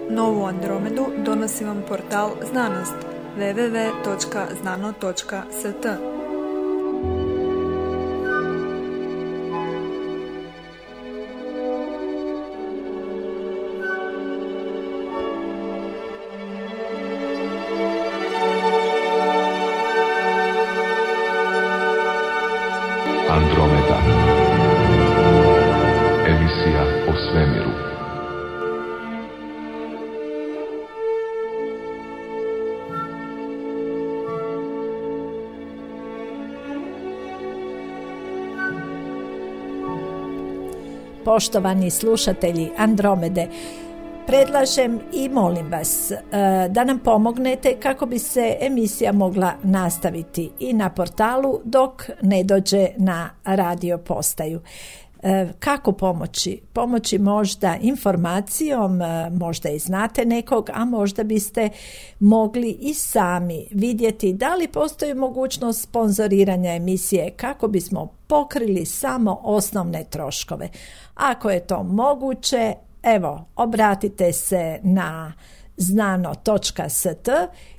Novu Andromedu donosi vam portal Znanost www.znano.st. Andromeda. Emisija o svemiru. Poštovani slušatelji Andromede, predlažem i molim vas da nam pomognete kako bi se emisija mogla nastaviti i na portalu dok ne dođe na radio postaju. Kako pomoći? Pomoći možda informacijom, možda i znate nekog, a možda biste mogli i sami vidjeti da li postoji mogućnost sponzoriranja emisije kako bismo pokrili samo osnovne troškove. Ako je to moguće, evo, obratite se na znano.st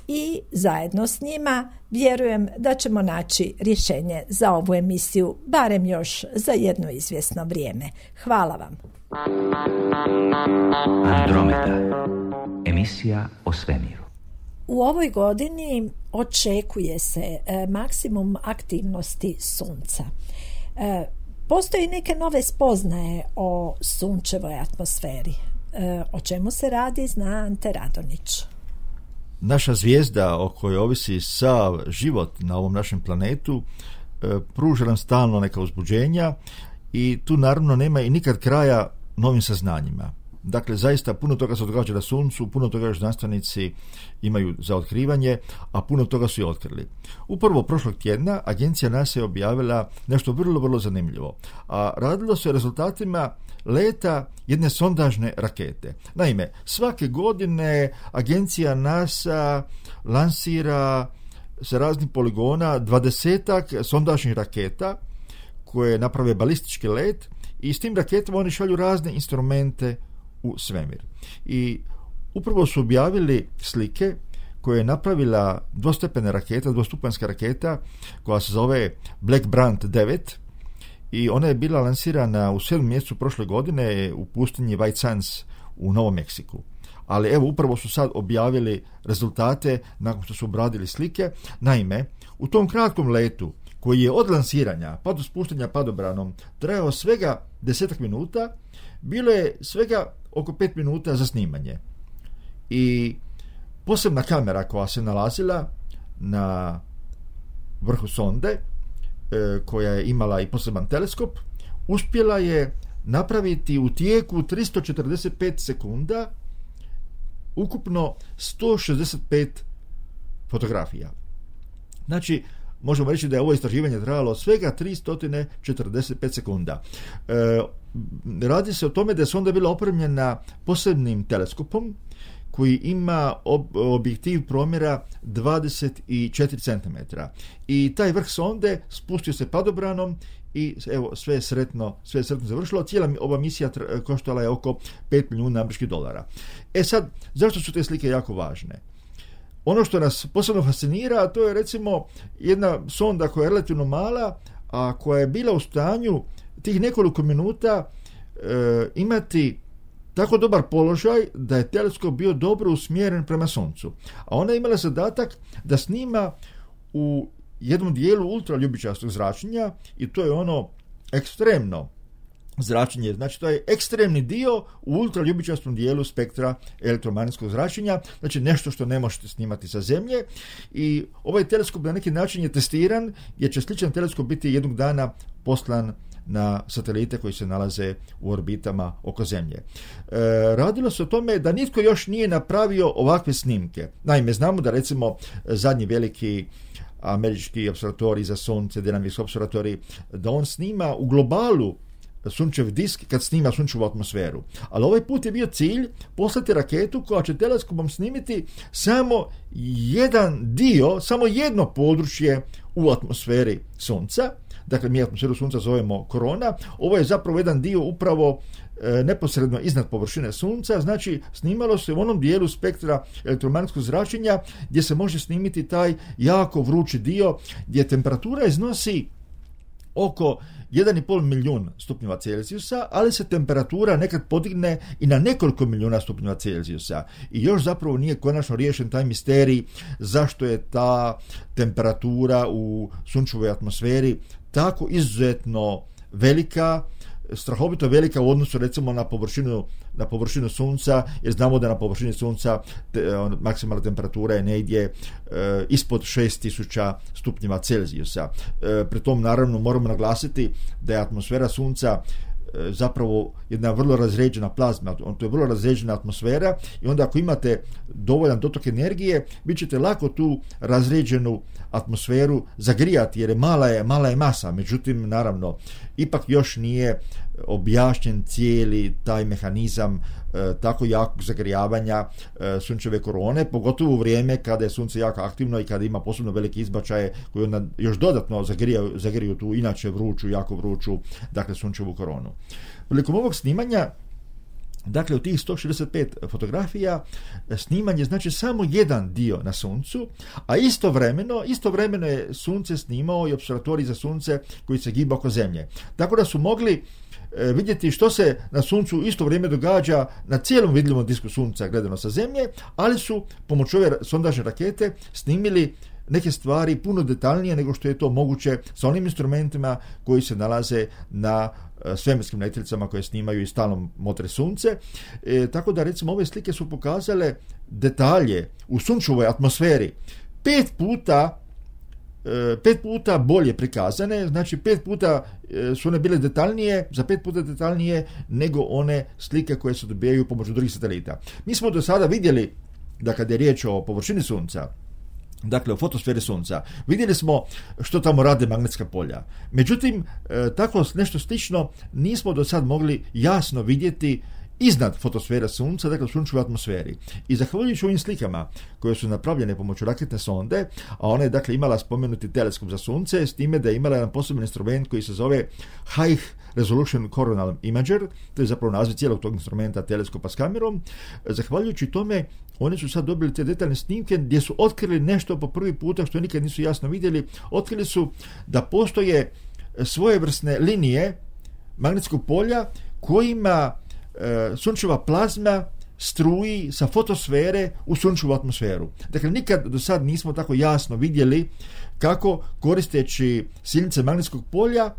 i zajedno s njima vjerujem da ćemo naći rješenje za ovu emisiju, barem još za jedno izvjesno vrijeme. Hvala vam. Andromeda. Emisija o svemiru. U ovoj godini očekuje se maksimum aktivnosti Sunca. Postoji neke nove spoznaje o sunčevoj atmosferi. O čemu se radi zna Ante Radonić. Naša zvijezda o kojoj ovisi sav život na ovom našem planetu pruža nam stalno neka uzbuđenja i tu naravno nema i nikad kraja novim saznanjima. Dakle, zaista puno toga se događa na Suncu, puno toga još znanstvenici imaju za otkrivanje, a puno toga su i otkrili. Upravo prošlog tjedna agencija NASA je objavila nešto vrlo, vrlo zanimljivo. A radilo se o rezultatima leta jedne sondažne rakete. Naime, svake godine agencija NASA lansira sa raznih poligona 20-ak sondažnih raketa koje naprave balistički let i s tim raketama oni šalju razne instrumente u svemir. I upravo su objavili slike koje je napravila dvostupanjska raketa koja se zove Black Brant 9 i ona je bila lansirana u 7. mjesecu prošle godine u pustinji White Sands u Novom Meksiku. Ali evo, upravo su sad objavili rezultate nakon što su obradili slike. Naime, u tom kratkom letu koji je od lansiranja pa do spuštanja padobranom trajao svega 10 minuta, bilo je svega oko 5 minuta za snimanje. I posebna kamera koja se nalazila na vrhu sonde, koja je imala i poseban teleskop, uspjela je napraviti u tijeku 345 sekunda ukupno 165 fotografija. Znači, možemo reći da je ovo istraživanje trajalo svega 345 sekunda. Radi se o tome da je sonda bila opremljena posebnim teleskopom koji ima objektiv promjera 24 cm. I taj vrh sonde spustio se padobranom i evo, sve je sretno završilo. Cijela ova misija koštala je oko $5 milijuna američkih dolara. Sad, zašto su te slike jako važne? Ono što nas posebno fascinira, to je recimo jedna sonda koja je relativno mala, a koja je bila u stanju tih nekoliko minuta imati tako dobar položaj da je teleskop bio dobro usmjeren prema Suncu. A ona je imala zadatak da snima u jednom dijelu ultraljubičastog zračenja i to je ono ekstremno zračenje, znači to je ekstremni dio u ultraljubičastom dijelu spektra elektromagnetskog zračenja, znači nešto što ne možete snimati sa Zemlje i ovaj teleskop na neki način je testiran jer će sličan teleskop biti jednog dana poslan na satelite koji se nalaze u orbitama oko Zemlje. Radilo se o tome da nitko još nije napravio ovakve snimke. Naime, znamo da recimo zadnji veliki američki observatorij za Sunce, Dynamics observatorij, da on snima u globalu sunčev disk kad snima sunčevu atmosferu. Ali ovaj put je bio cilj poslati raketu koja će teleskopom snimiti samo jedan dio, samo jedno područje u atmosferi Sunca. dakle mi atmosferu sunca zovemo korona, ovo je zapravo jedan dio upravo neposredno iznad površine sunca, znači snimalo se u onom dijelu spektra elektromagnetskog zračenja gdje se može snimiti taj jako vrući dio gdje temperatura iznosi oko 1,5 milijun stupnjeva Celzijusa, ali se temperatura nekad podigne i na nekoliko milijuna stupnjeva Celzijusa. I još zapravo nije konačno riješen taj misterij zašto je ta temperatura u sunčevoj atmosferi tako izuzetno velika, strahovito velika u odnosu recimo na površinu sunca, jer znamo da na površini sunca maksimalna temperatura je negdje ispod 6000 stupnjeva Celzijusa. Pri tom naravno moramo naglasiti da je atmosfera sunca zapravo jedna vrlo razređena plazma, to je vrlo razređena atmosfera i onda ako imate dovoljan dotok energije, vi ćete lako tu razređenu atmosferu zagrijati jer je mala je masa, međutim naravno ipak još nije objašnjen cijeli taj mehanizam tako jakog zagrijavanja sunčeve korone, pogotovo u vrijeme kada je sunce jako aktivno i kada ima posebno velike izbačaje koji onda još dodatno zagriju tu inače jako vruću, dakle sunčevu koronu. Prilikom ovog snimanja, dakle, u tih 165 fotografija sniman je znači samo jedan dio na suncu, a istovremeno je sunce snimao i opservatorij za sunce koji se giba oko zemlje. Tako da su mogli vidjeti što se na suncu isto vrijeme događa na cijelom vidljivom disku sunca gledano sa zemlje, ali su pomoću ove sondažne rakete snimili neke stvari puno detaljnije nego što je to moguće sa onim instrumentima koji se nalaze na svemirskim letjelicama koje snimaju i stalno motre sunce. Tako da recimo ove slike su pokazale detalje u sunčevoj atmosferi 5 puta bolje prikazane, znači 5 puta su one bile detaljnije, za 5 puta detaljnije nego one slike koje se dobijaju pomoću drugih satelita. Mi smo do sada vidjeli da kad je riječ o površini sunca, dakle o fotosferi sunca, vidjeli smo što tamo rade magnetska polja. Međutim, tako nešto slično nismo do sad mogli jasno vidjeti iznad fotosfere sunca, dakle u sunčevoj atmosferi. I zahvaljujući ovim slikama koje su napravljene pomoću raketne sonde, a ona je dakle imala spomenuti teleskop za sunce, s time da je imala jedan poseban instrument koji se zove High Resolution Coronal Imager, to je zapravo naziv cijelog tog instrumenta teleskopa s kamerom. Zahvaljujući tome, oni su sad dobili te detaljne snimke gdje su otkrili nešto po prvi puta što nikad nisu jasno vidjeli. Otkrili su da postoje svojevrsne linije magnetskog polja kojima sunčeva plazma struji sa fotosfere u sunčevu atmosferu. Dakle, nikad do sad nismo tako jasno vidjeli kako koristeći silnice magnetskog polja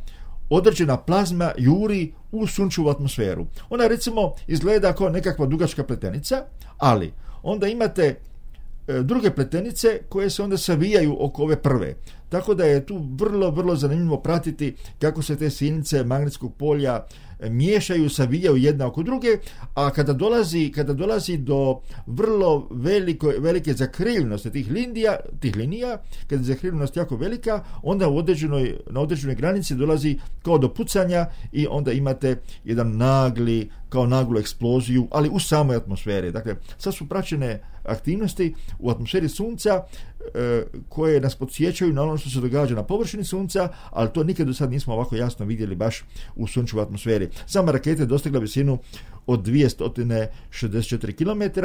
određena plazma juri u sunčevu atmosferu. Ona recimo izgleda kao nekakva dugačka pletenica, ali onda imate druge pletenice koje se onda savijaju oko ove prve. Tako da je tu vrlo zanimljivo pratiti kako se te silnice magnetskog polja miješaju, savijaju jedna oko druge, a kada dolazi do vrlo velike zakrivljenosti tih linija, kada je zakrivljenost jako velika, onda na određenoj granici dolazi kao do pucanja i onda imate jedan naglu eksploziju, ali u samoj atmosferi. Dakle, sad su praćene aktivnosti u atmosferi sunca koje nas podsjećaju na ono što se događa na površini sunca, ali to nikad do sad nismo ovako jasno vidjeli baš u sunčevoj atmosferi. Sama raketa je dostigla visinu od 264 km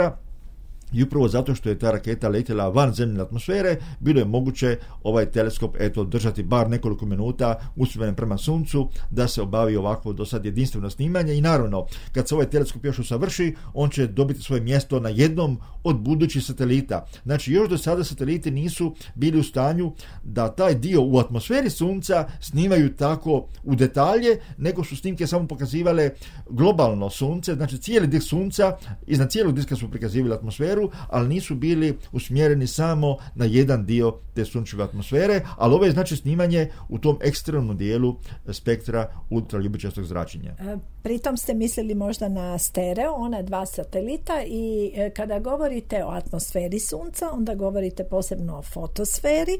i upravo zato što je ta raketa letjela van zemljine atmosfere, bilo je moguće ovaj teleskop držati bar nekoliko minuta usmjeren prema suncu da se obavi ovakvo do sad jedinstveno snimanje. I naravno, kad se ovaj teleskop još usavrši, on će dobiti svoje mjesto na jednom od budućih satelita. Znači, još do sada sateliti nisu bili u stanju da taj dio u atmosferi sunca snimaju tako u detalje, nego su snimke samo pokazivale globalno sunce, znači cijeli disk sunca, iznad cijelog diska su prikazivali atmosferu, ali nisu bili usmjereni samo na jedan dio te sunčeve atmosfere, ali ovo je znači snimanje u tom ekstremnom dijelu spektra ultraljubičastog zračenja. Pritom ste mislili možda na stereo, ona 2 satelita, i kada govorite o atmosferi sunca, onda govorite posebno o fotosferi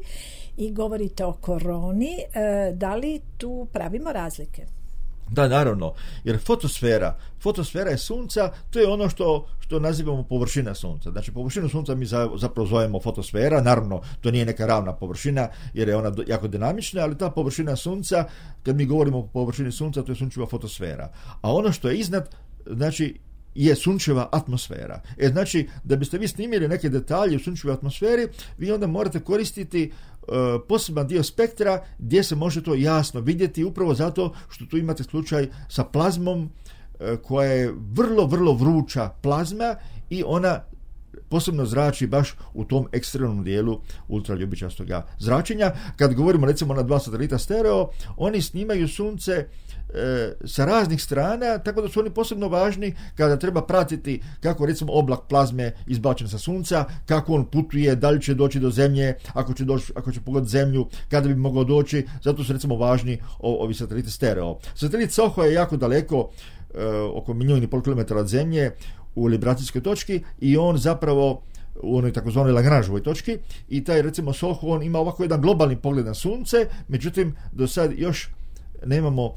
i govorite o koroni. Da li tu pravimo razlike? Da, naravno, jer fotosfera je sunca, to je ono što nazivamo površina sunca. Znači, površinu sunca mi zapravo zovemo fotosfera, naravno, to nije neka ravna površina, jer je ona jako dinamična, ali ta površina sunca, kad mi govorimo o površini sunca, to je sunčeva fotosfera. A ono što je iznad, znači, je sunčeva atmosfera. Znači, da biste vi snimili neke detalje u sunčevoj atmosferi, vi onda morate koristiti poseban dio spektra gdje se može to jasno vidjeti, upravo zato što tu imate slučaj sa plazmom koja je vrlo, vrlo vruća plazma i ona posebno zrači baš u tom ekstremnom dijelu ultraljubičastoga zračenja. Kad govorimo recimo na 2 satelita stereo, oni snimaju sunce sa raznih strana, tako da su oni posebno važni kada treba pratiti kako recimo oblak plazme izbačen sa sunca, kako on putuje, da li će doći do zemlje, ako će pogoditi zemlju, kada bi mogao doći. Zato su recimo važni ovi sateliti stereo. Satelit SOHO je jako daleko, oko 1,5 milijuna kilometara od zemlje, u libracijskoj točki, i on zapravo u onoj takozvanoj Lagrangeovoj točki, i taj recimo SOHO, on ima ovako jedan globalni pogled na sunce, međutim do sad još nemamo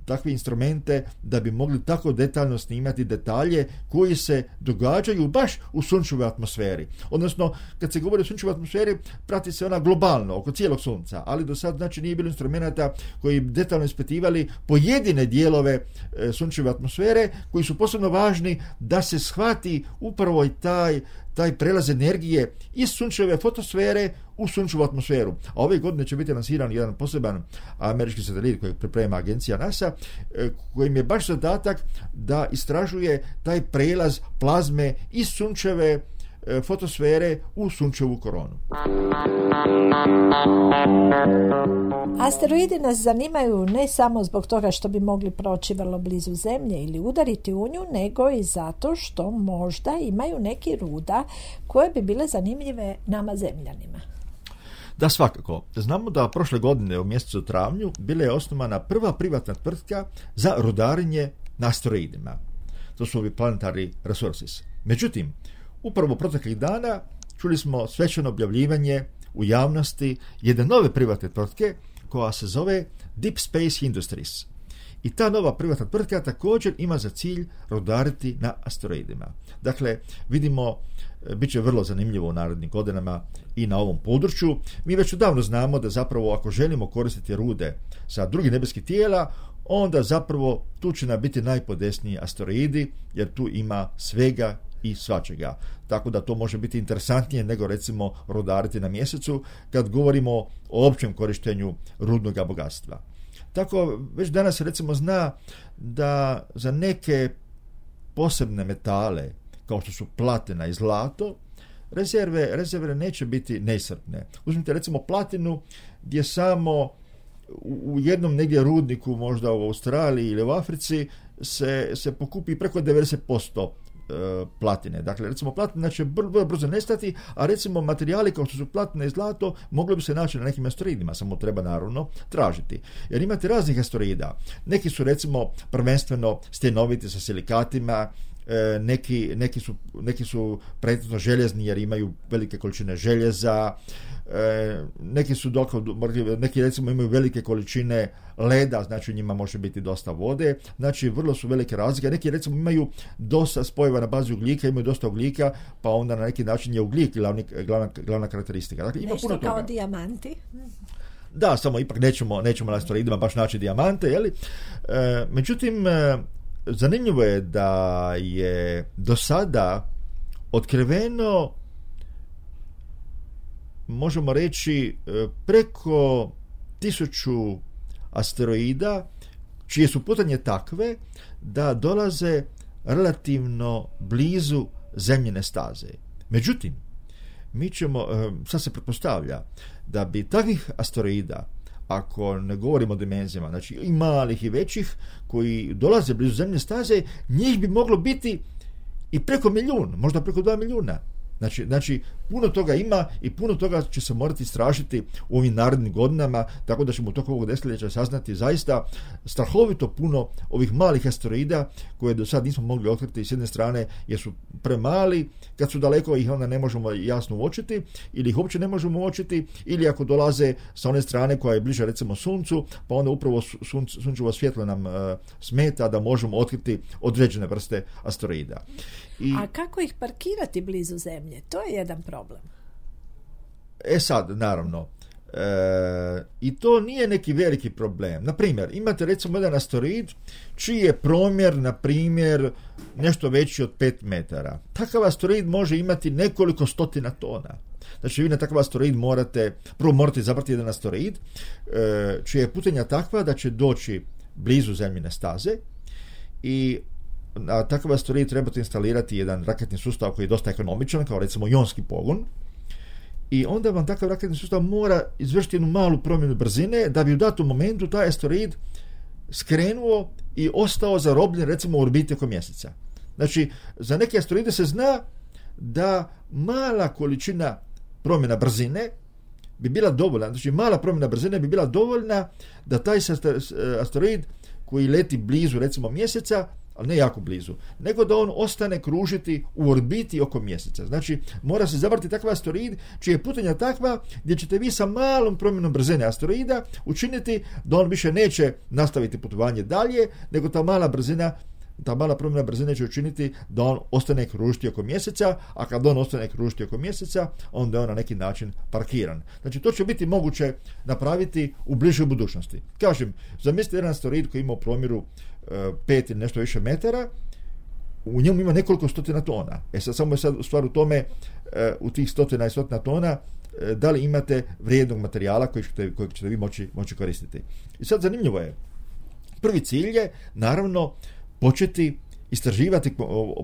takve instrumente da bi mogli tako detaljno snimati detalje koji se događaju baš u sunčevoj atmosferi. Odnosno, kad se govori o sunčevoj atmosferi, prati se ona globalno, oko cijelog sunca, ali do sad znači nije bilo instrumenta koji detaljno ispitivali pojedine dijelove sunčeve atmosfere, koji su posebno važni da se shvati upravo i taj prelaz energije iz sunčeve fotosfere u sunčevu atmosferu. A ove godine će biti lansiran jedan poseban američki satelit koji priprema agencija NASA, kojim je baš zadatak da istražuje taj prelaz plazme iz sunčeve fotosfere u sunčevu koronu. Asteroidi nas zanimaju ne samo zbog toga što bi mogli proći vrlo blizu Zemlje ili udariti u nju, nego i zato što možda imaju neki ruda koje bi bile zanimljive nama Zemljanima. Da, svakako. Znamo da prošle godine u mjesecu travnju bila je osnovana prva privatna tvrtka za rudarenje na asteroidima. To su ovi Planetary Resources. Međutim, upravo proteklih dana čuli smo svečano objavljivanje u javnosti jedne nove privatne tvrtke koja se zove Deep Space Industries. I ta nova privatna tvrtka također ima za cilj rudariti na asteroidima. Dakle, vidimo, bit će vrlo zanimljivo u narednim godinama i na ovom području. Mi već odavno znamo da zapravo ako želimo koristiti rude sa drugih nebeskih tijela, onda zapravo tu će nam biti najpodesniji asteroidi, jer tu ima svega i svačega. Tako da to može biti interesantnije nego recimo rudariti na mjesecu kad govorimo o općem korištenju rudnog bogatstva. Tako već danas recimo zna da za neke posebne metale kao što su platina i zlato, rezerve neće biti neiscrpne. Uzmite recimo platinu gdje samo u jednom negdje rudniku, možda u Australiji ili u Africi, se pokupi preko 90% platine. Dakle, recimo platina će brzo nestati, a recimo materijali kao što su platina i zlato mogli bi se naći na nekim asteroidima, samo treba naravno tražiti. Jer imate raznih asteroida. Neki su recimo prvenstveno stjenoviti sa silikatima, neki su pretežno željezni jer imaju velike količine željeza, neki recimo imaju velike količine leda, znači u njima može biti dosta vode, znači vrlo su velike razlike. Neki recimo imaju dosta spojeva na bazi ugljika, imaju dosta ugljika, pa onda na neki način je ugljik glavna karakteristika. Dakle, ima nešto puno toga. Kao dijamanti. Da, samo ipak nećemo na asteroidima baš naći dijamante, jeli? Međutim, zanimljivo je da je do sada otkriveno, možemo reći, preko 1000 asteroida čije su putanje takve da dolaze relativno blizu zemljine staze. Međutim, sad se pretpostavlja da bi takvih asteroida, ako ne govorimo o dimenzijama, znači i malih i većih, koji dolaze blizu zemljine staze, njih bi moglo biti i preko 1 milijun, možda preko 2 milijuna. Znači, puno toga ima i puno toga će se morati istražiti u ovim narednim godinama, tako da ćemo u toku ovog desetljeća saznati zaista strahovito puno ovih malih asteroida koje do sad nismo mogli otkriti s jedne strane jer su premali, kad su daleko ih onda ne možemo jasno uočiti ili ih uopće ne možemo uočiti, ili ako dolaze sa one strane koja je bliže recimo Suncu, pa onda upravo sunčevo svjetlo nam smeta da možemo otkriti određene vrste asteroida. A kako ih parkirati blizu Zemlje? To je jedan problem. Sad, naravno, i to nije neki veliki problem. Na primjer, imate recimo jedan asteroid čiji je promjer, na primjer, nešto veći od 5 metara. Takav asteroid može imati nekoliko stotina tona. Znači, vi na takav asteroid morate izabrati jedan asteroid čija je putanja takva da će doći blizu Zemljine staze i na takav asteroid trebate instalirati jedan raketni sustav koji je dosta ekonomičan, kao recimo ionski pogon, i onda vam takav raketni sustav mora izvršiti jednu malu promjenu brzine da bi u datom momentu taj asteroid skrenuo i ostao zarobljen recimo u orbiti oko mjeseca. Znači, za neke asteroide se zna da mala količina promjena brzine bi bila dovoljna, znači mala promjena brzine bi bila dovoljna da taj asteroid koji leti blizu recimo mjeseca, ali ne jako blizu, nego da on ostane kružiti u orbiti oko mjeseca. Znači, mora se zavrti takav asteroid čija je putanja takva gdje ćete vi sa malom promjenom brzine asteroida učiniti da on više neće nastaviti putovanje dalje, nego ta mala promjena brzine će učiniti da on ostane kružiti oko mjeseca, a kad on ostane kružiti oko mjeseca, onda je on na neki način parkiran. Znači, to će biti moguće napraviti u bližoj budućnosti. Kažem, zamislite jedan asteroid koji ima u promjeru 5 ili nešto više metara, u njemu ima nekoliko stotina tona. Samo je sad stvar u tome, u tih stotina i stotina tona, da li imate vrijednog materijala kojeg ćete vi moći koristiti. I sad zanimljivo je, prvi cilj je naravno početi istraživati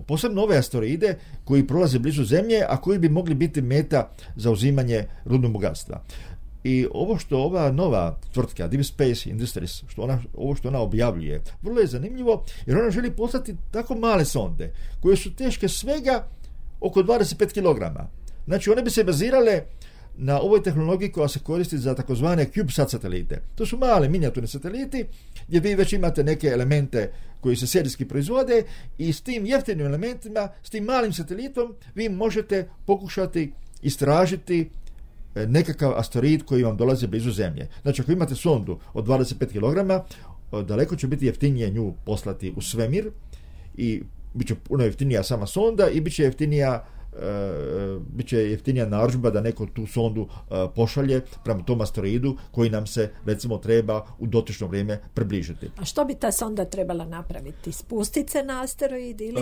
posebno ove asteroide koji prolaze blizu Zemlje, a koji bi mogli biti meta za uzimanje rudnog bogatstva. I ovo što ova nova tvrtka Deep Space Industries, ovo što ona objavljuje, vrlo je zanimljivo, jer ona želi poslati tako male sonde koje su teške svega oko 25 kg. Znači, one bi se bazirale na ovoj tehnologiji koja se koristi za takozvane CubeSat satelite. To su male minijaturni sateliti gdje vi već imate neke elemente koji se serijski proizvode i s tim jeftinim elementima, s tim malim satelitom vi možete pokušati istražiti nekakav asteroid koji vam dolazi blizu Zemlje. Znači, ako imate sondu od 25 kg, daleko će biti jeftinije nju poslati u svemir i bit će puno jeftinija sama sonda i bit će jeftinija narudžba da neko tu sondu pošalje prema tom asteroidu koji nam se recimo treba u dotično vrijeme približiti. A što bi ta sonda trebala napraviti? Spustiti se na asteroid ili?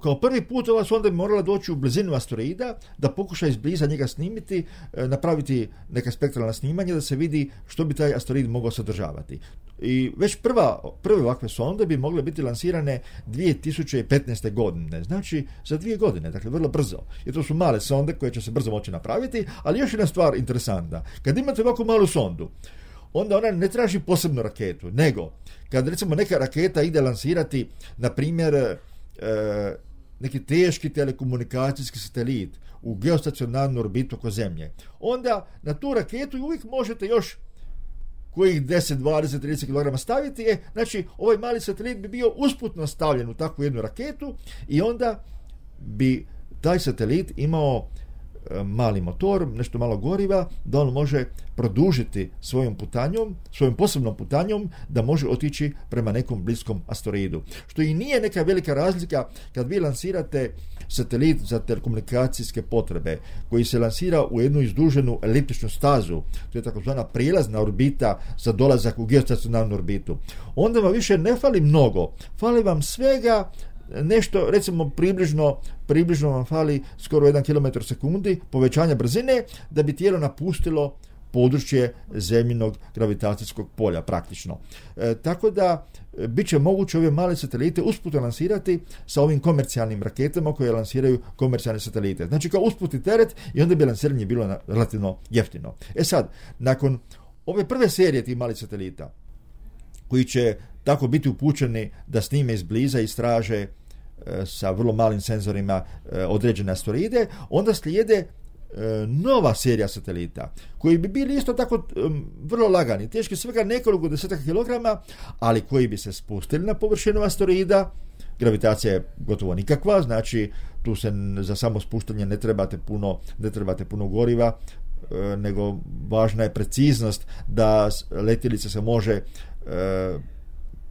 Kao prvi put ova sonda bi morala doći u blizinu asteroida, da pokuša izbliza njega snimiti, napraviti neka spektralna snimanja da se vidi što bi taj asteroid mogao sadržavati. I već prve ovakve sonde bi mogle biti lansirane 2015. godine, znači za 2 godine, dakle vrlo brzo. I to su male sonde koje će se brzo moći napraviti, ali još jedna stvar interesantna. Kad imate ovako malu sondu, onda ona ne traži posebnu raketu, nego kad recimo neka raketa ide lansirati, na primjer, neki teški telekomunikacijski satelit u geostacionarnu orbitu oko Zemlje, onda na tu raketu uvijek možete još kojih 10, 20, 30 kg staviti. Znači, ovaj mali satelit bi bio usputno stavljen u takvu jednu raketu i onda bi taj satelit imao mali motor, nešto malo goriva, da on može produžiti svojom posebnom putanjom, da može otići prema nekom bliskom asteroidu. Što i nije neka velika razlika kad vi lansirate satelit za telekomunikacijske potrebe, koji se lansira u jednu izduženu eliptičnu stazu, to je takozvana prijelazna orbita za dolazak u geostacionarnu orbitu. Onda vam više ne fali mnogo, fali vam svega nešto, recimo približno vam fali skoro 1 km sekundi povećanja brzine da bi tijelo napustilo područje zemljinog gravitacijskog polja praktično. Tako da bit će moguće ove male satelite usputno lansirati sa ovim komercijalnim raketama koje lansiraju komercijalne satelite. Znači kao usputni teret i onda bi lansiranje bilo relativno jeftino. Sad, nakon ove prve serije tih malih satelita koji će tako biti upućeni da snime izbliza i istraže sa vrlo malim senzorima određene asteroide, onda slijede nova serija satelita koji bi bili isto tako vrlo lagani, teški svega nekoliko desetaka kilograma, ali koji bi se spustili na površinu asteroida. Gravitacija je gotovo nikakva, znači tu se za samo spuštanje ne trebate puno goriva, nego važna je preciznost da letjelica se može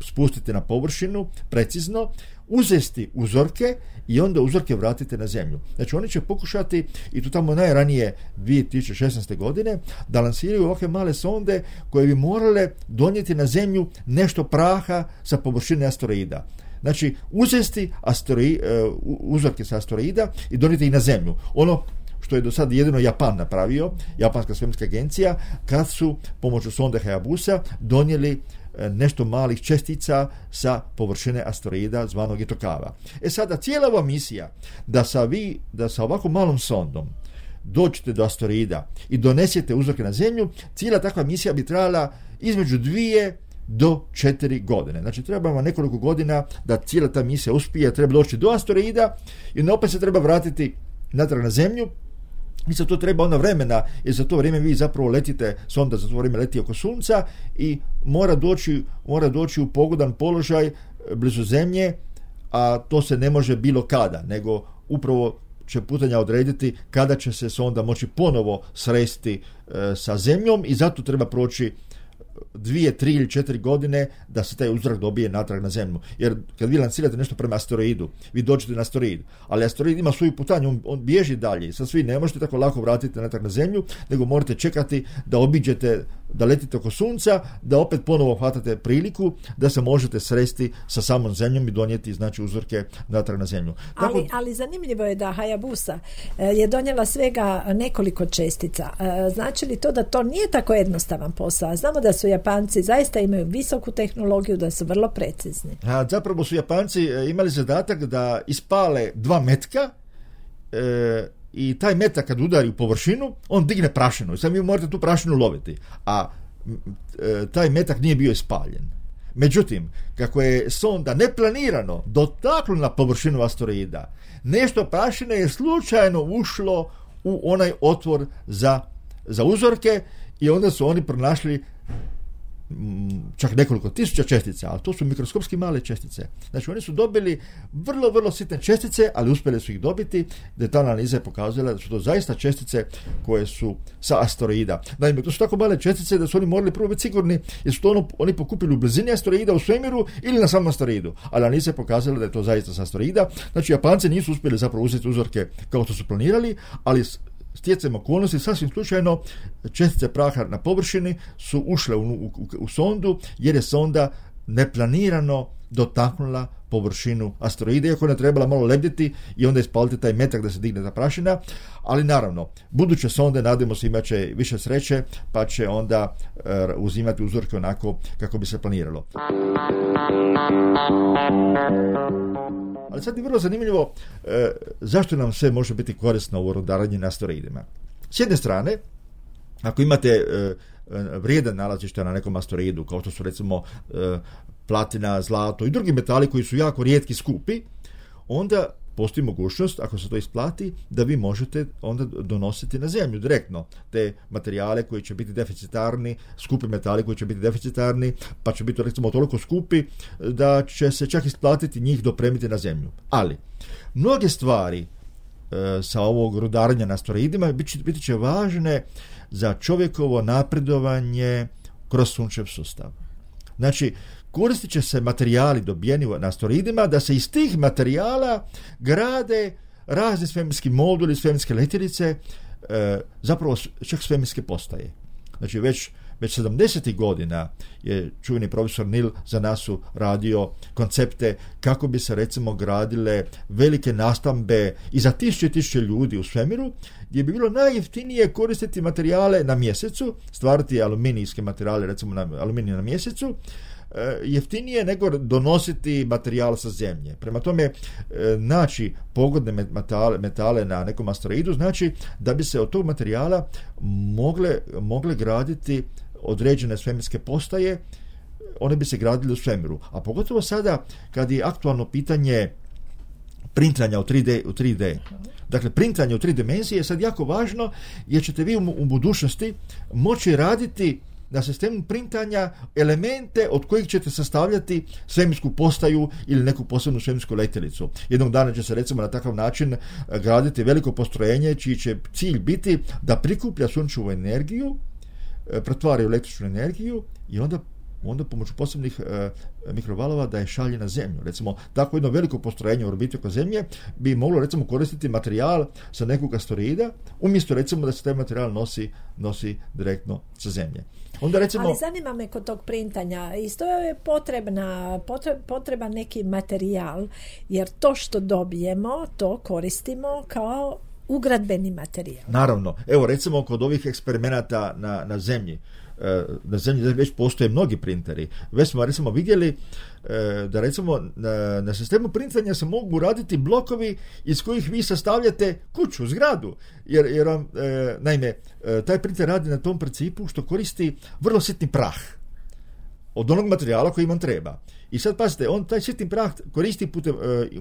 spustiti na površinu precizno, uzesti uzorke i onda uzorke vratite na Zemlju. Znači oni će pokušati, i tu tamo najranije 2016. godine, da lansiraju ovakve male sonde koje bi morale donijeti na Zemlju nešto praha sa površine asteroida. Znači uzesti uzorke sa asteroida i donijeti ih na Zemlju. Ono što je do sad jedino Japan napravio, Japanska svemirska agencija, kad su pomoću sonde Hayabusa donijeli nešto malih čestica sa površine asteroida zvanog Itokawa. Sada cijela ova misija da sa ovako malom sondom dođete do asteroida i donesete uzorke na Zemlju, cijela takva misija bi trajala između 2 do 4 godine. Znači treba vam nekoliko godina da cijela ta misija uspije, treba doći do asteroida i opet se treba vratiti natrag na Zemlju. I za to treba onda vremena, jer za to vrijeme vi zapravo letite, sonda za to vrijeme leti oko Sunca i mora doći u pogodan položaj blizu Zemlje, a to se ne može bilo kada, nego upravo će putanja odrediti kada će se sonda moći ponovo sresti sa Zemljom i zato treba proći 2, 3 ili 4 godine da se taj uzorak dobije natrag na Zemlju. Jer kad vi lansirate nešto prema asteroidu, vi dođete na asteroid, ali asteroid ima svoju putanju, on bježi dalje. Sad svi ne možete tako lako vratiti natrag na Zemlju, nego morate čekati da obiđete, da letite oko Sunca, da opet ponovo hvatate priliku da se možete sresti sa samom Zemljom i donijeti znači uzorke natrag na Zemlju. Ali zanimljivo je da Hayabusa je donijela svega nekoliko čestica. Znači li to da to nije tako jednostavan posao? Znamo da su Japanci zaista imaju visoku tehnologiju, da su vrlo precizni. Zapravo su Japanci imali zadatak da ispale 2 metka i taj metak kad udari u površinu, on digne prašinu i sad vi morate tu prašinu loviti, a taj metak nije bio ispaljen. Međutim, kako je sonda neplanirano dotaknula na površinu asteroida, nešto prašine je slučajno ušlo u onaj otvor za uzorke i onda su oni pronašli čak nekoliko tisuća čestica, ali to su mikroskopski male čestice. Znači oni su dobili vrlo, vrlo sitne čestice, ali uspjeli su ih dobiti. Detaljna analiza je pokazala da su to zaista čestice koje su sa asteroida. Naime, to su tako male čestice da su oni morali prvo biti sigurni jer su to oni pokupili u blizini asteroida u svemiru ili na samom asteroidu. Ali analiza je pokazala da je to zaista sa asteroida. Znači Japanci nisu uspjeli zapravo uzeti uzorke kao što su planirali, ali stjecajem okolnosti, sasvim slučajno, čestice praha na površini su ušle u sondu, jer je sonda neplanirano dotaknula površinu asteroida, iako je trebala malo lebditi i onda ispaliti taj metak da se digne ta prašina, ali naravno, buduće sonde, nadamo se, imat će više sreće, pa će onda uzimati uzorke onako kako bi se planiralo. Ali sad je vrlo zanimljivo zašto nam sve može biti korisno u rudarenju na asteroidima. S jedne strane, ako imate vrijedan nalazište na nekom asteroidu, kao što su recimo platina, zlato i drugi metali koji su jako rijetki, skupi, onda postoji mogućnost, ako se to isplati, da vi možete onda donositi na Zemlju direktno te materijale koji će biti deficitarni, skupi metali koji će biti deficitarni, pa će biti recimo toliko skupi da će se čak isplatiti njih dopremiti na Zemlju. Ali mnoge stvari sa ovog rudarenja na asteroidima biti će važne za čovjekovo napredovanje kroz sunčev sustav. Znači, koristit će se materijali dobijeni na asteroidima da se iz tih materijala grade razni svemirski moduli, svemirske letjelice, zapravo čak svemirske postaje. Znači već 70. godina je čuveni profesor Neil za nas radio koncepte kako bi se recimo gradile velike nastambe i za 1000 ljudi u svemiru, gdje bi bilo najjeftinije koristiti materijale na mjesecu, stvarati aluminijske materijale, recimo aluminij na mjesecu, jeftinije nego donositi materijal sa Zemlje. Prema tome, naći pogodne metale na nekom asteroidu znači da bi se od tog materijala mogle graditi određene svemirske postaje, one bi se gradile u svemiru. A pogotovo sada kad je aktualno pitanje printanja u 3D. Dakle, printanje u 3 dimenzije je sad jako važno jer ćete vi u budućnosti moći raditi na sistemu printanja elemente od kojih ćete sastavljati svemirsku postaju ili neku posebnu svemirsku letjelicu. Jednog dana će se recimo na takav način graditi veliko postrojenje čiji će cilj biti da prikuplja sunčevu energiju, pretvara u električnu energiju i onda pomoću posebnih mikrovalova da je šalje na zemlju. Recimo, tako jedno veliko postrojenje u orbiti oko zemlje bi moglo recimo koristiti materijal sa nekog asteroida, umjesto recimo da se taj materijal nosi direktno sa zemlje. Onda recimo, ali zanima me kod tog printanja, isto je potreban neki materijal, jer to što dobijemo, to koristimo kao ugradbeni materijal. Naravno. Evo recimo kod ovih eksperimenata na zemlji. Na zemlji već postoje mnogi printeri. Već smo recimo vidjeli da recimo na sistemu printanja se mogu raditi blokovi iz kojih vi sastavljate kuću, zgradu. Jer naime, taj printer radi na tom principu što koristi vrlo sitni prah od onog materijala koji vam treba. I sad pazite, on taj sitni prah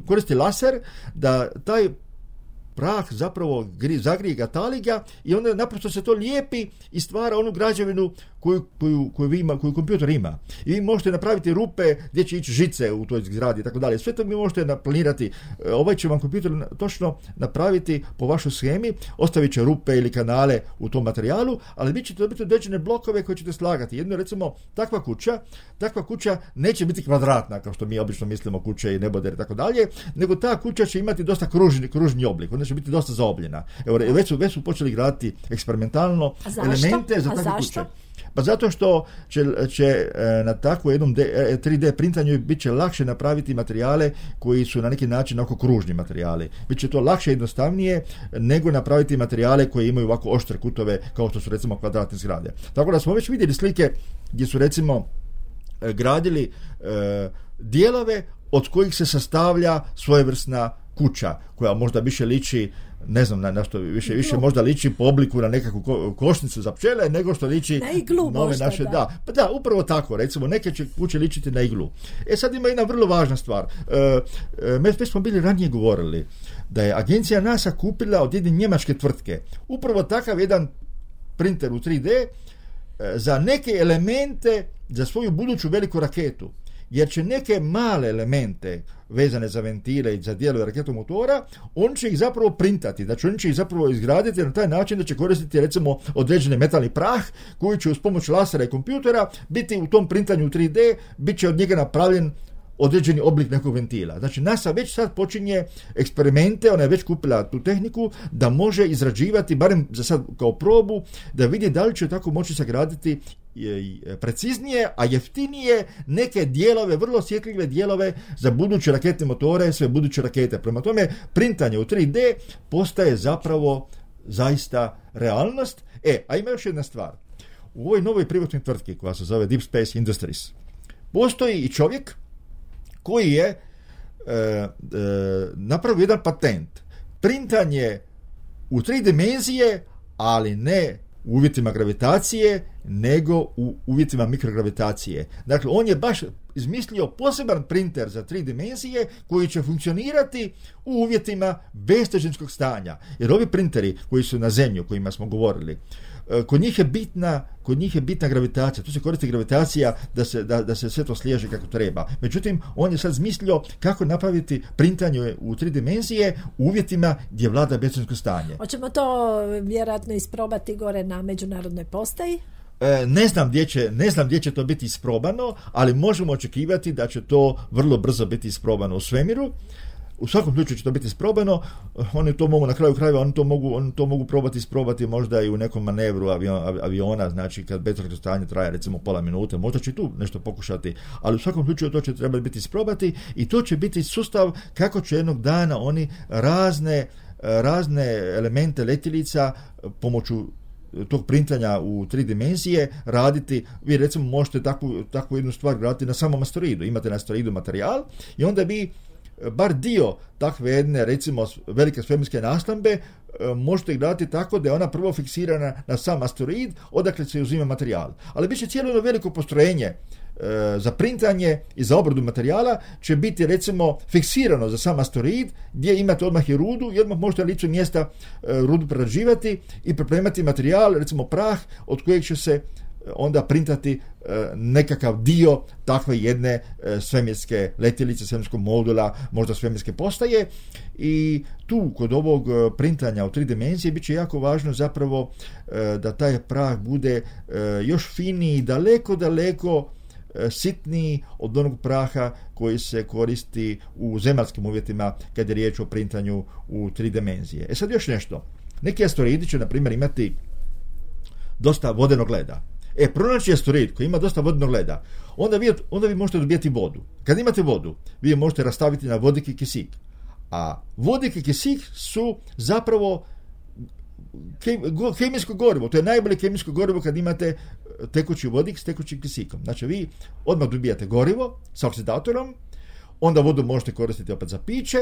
koristi laser da taj prah zapravo zagrije ga, tali ga i onda naprosto se to lijepi i stvara onu građevinu koju kompjuter ima. I vi možete napraviti rupe gdje će ići žice u toj zgradi i tako dalje. Sve to vi možete naplanirati. Ovaj će vam kompjuter točno napraviti po vašoj shemi, ostavit će rupe ili kanale u tom materijalu, ali vi ćete dobiti određene blokove koje ćete slagati. Jedno recimo takva kuća neće biti kvadratna kao što mi obično mislimo kuće i neboder i tako dalje, nego ta kuća će imati dosta kružni oblik. Ona će biti dosta zaobljena. Evo, već su počeli graditi eksperimentalno elemente za takve kuće. Pa zato što će na takvom jednom 3D printanju bit će lakše napraviti materijale koji su na neki način oko kružni materijali. Biće to lakše i jednostavnije nego napraviti materijale koji imaju ovako oštre kutove kao što su recimo kvadratne zgrade. Tako da smo već vidjeli slike gdje su recimo gradili dijelove od kojih se sastavlja svojevrsna kuća koja možda više liči, ne znam na što više možda liči po obliku na nekakvu košnicu za pčele nego što liči na iglu nove možda, naše, da, upravo tako, recimo neke će kuće ličiti na iglu. Sad ima jedna vrlo važna stvar. Već smo bili ranije govorili da je agencija NASA kupila od jedne njemačke tvrtke upravo takav jedan printer u 3D za neke elemente za svoju buduću veliku raketu. Jer će neke male elemente vezane za ventile i za dijelove raketomotora, on će ih zapravo printati, znači on će ih zapravo izgraditi na taj način da će koristiti recimo određeni metalni prah koji će uz pomoć lasera i kompjutera biti u tom printanju u 3D, bit će od njega napravljen određeni oblik nekog ventila. Znači NASA već sad počinje eksperimente, ona je već kupila tu tehniku da može izrađivati, barem za sad kao probu, da vidi da li će tako moći sagraditi preciznije, a jeftinije neke dijelove, vrlo osjetljive dijelove za buduće raketne motore, sve buduće rakete. Prema tome, printanje u 3D postaje zapravo zaista realnost. A ima još jedna stvar. U ovoj novoj privatnoj tvrtki koja se zove Deep Space Industries postoji i čovjek koji je napravio jedan patent. Printanje u 3 dimenzije, ali ne u uvjetima gravitacije, nego u uvjetima mikrogravitacije. Dakle, on je baš izmislio poseban printer za 3 dimenzije koji će funkcionirati u uvjetima bestežinskog stanja. Jer ovi printeri koji su na zemlji, o kojima smo govorili, kod njih je bitna gravitacija. Tu se koristi gravitacija da se sve to sliježe kako treba. Međutim, on je sad zmislio kako napraviti printanje u 3 dimenzije u uvjetima gdje vlada bestežinsko stanje. Hoćemo to vjerojatno isprobati gore na međunarodnoj postaji? Ne znam gdje će to biti isprobano, ali možemo očekivati da će to vrlo brzo biti isprobano u svemiru. U svakom slučaju će to biti isprobano. Oni to mogu na kraju krajeva, oni to mogu isprobati možda i u nekom manevru aviona, znači kad bestežinsko stanje traje recimo pola minute, možda će tu nešto pokušati, ali u svakom slučaju to će trebati biti isprobati i to će biti sustav kako će jednog dana oni razne elemente letjelica pomoću tog printanja u 3 dimenzije raditi. Vi recimo možete takvu jednu stvar graditi na samom asteroidu. Imate na asteroidu materijal i onda vi bar dio takve jedne recimo velike svemirske nastambe možete ih graditi tako da je ona prvo fiksirana na sam asteroid odakle se uzima materijal. Ali bit će cijelo jedno veliko postrojenje za printanje i za obradu materijala će biti recimo fiksirano za sam asteroid, gdje imate odmah i rudu i odmah možete na licu mjesta rudu prerađivati i pripremati materijal, recimo prah, od kojeg će se onda printati nekakav dio takve jedne svemirske letjelice, svemirskog modula, možda svemirske postaje. I tu kod ovog printanja u 3 dimenzije bit će jako važno zapravo da taj prah bude još finiji, daleko sitniji od onog praha koji se koristi u zemaljskim uvjetima kad je riječ o printanju u 3 dimenzije. Sad još nešto. Neki asteroidi će, na primjer, imati dosta vodenog leda. Pronaći asteroid koji ima dosta vodenog leda, onda vi možete dobijati vodu. Kad imate vodu, vi je možete rastaviti na vodik i kisik. A vodik i kisik su zapravo kemijsko gorivo. To je najbolje kemijsko gorivo kad imate tekući vodik s tekućim kisikom. Znači vi odmah dobijate gorivo sa oksidatorom, onda vodu možete koristiti opet za piće